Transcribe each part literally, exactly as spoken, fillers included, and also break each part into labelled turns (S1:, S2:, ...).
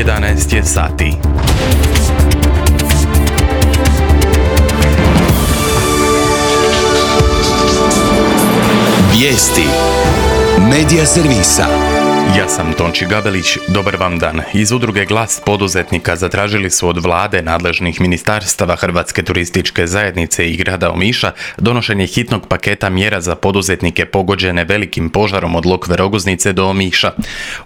S1: jedanaest je sati.
S2: Vijesti Medija servisa.
S1: Ja sam Tonči Gabelić, dobar vam dan. Iz udruge Glas poduzetnika zatražili su od vlade, nadležnih ministarstava, Hrvatske turističke zajednice i grada Omiša donošenje hitnog paketa mjera za poduzetnike pogođene velikim požarom od Lokve Rogoznice do Omiša.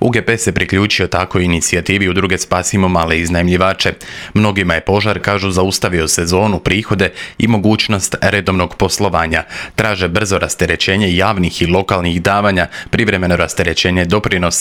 S1: U ge pe se priključio tako inicijativi udruge Spasimo male iznajmljivače. Mnogima je požar, kažu, zaustavio sezonu, prihode i mogućnost redovnog poslovanja. Traže brzo rasterećenje javnih i lokalnih davanja, privremeno rasterećenje doprinosa,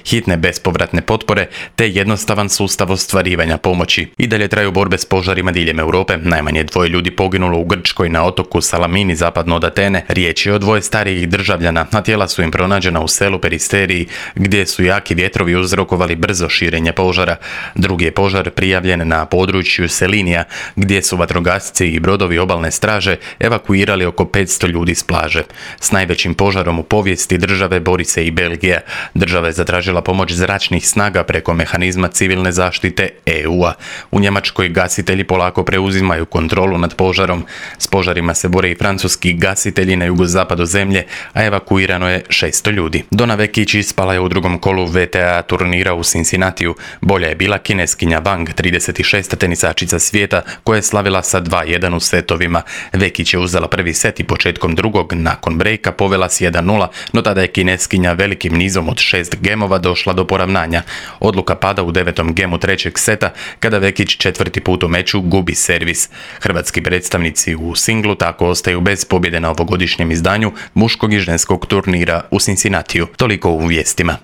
S1: hitne bespovratne potpore te jednostavan sustav ostvarivanja pomoći. I dalje traju borbe s požarima diljem Europe. Najmanje dvoje ljudi poginulo u Grčkoj na otoku Salamini zapadno od Atene. Riječ je o dvoje starijih državljana, a tijela su im pronađena u selu Peristeriji gdje su jaki vjetrovi uzrokovali brzo širenje požara. Drugi je požar prijavljen na području Selinija gdje su vatrogasci i brodovi obalne straže evakuirali oko petsto ljudi s plaže. S najvećim požarom u povijesti države bori se i Belgija. Država je zatražila pomoć zračnih snaga preko mehanizma civilne zaštite e u a. U Njemačkoj gasitelji polako preuzimaju kontrolu nad požarom. S požarima se bore i francuski gasitelji na jugozapadu zemlje, a evakuirano je šesto ljudi. Donna Vekić ispala je u drugom kolu ve te a turnira u Cincinnatiju. Bolja je bila kineskinja Wang, trideset šesta tenisačica svijeta, koja je slavila sa dva jedan u setovima. Vekić je uzela prvi set i početkom drugog, nakon brejka, povela s jedan nula, no tada je kineskinja velikim nizom od šest gemova došla do poravnanja. Odluka pada u devetom gemu trećeg seta, kada Vekić četvrti put u meču gubi servis. Hrvatski predstavnici u singlu tako ostaju bez pobjede na ovogodišnjem izdanju muškog i ženskog turnira u Cincinnatiju. Toliko u vijestima.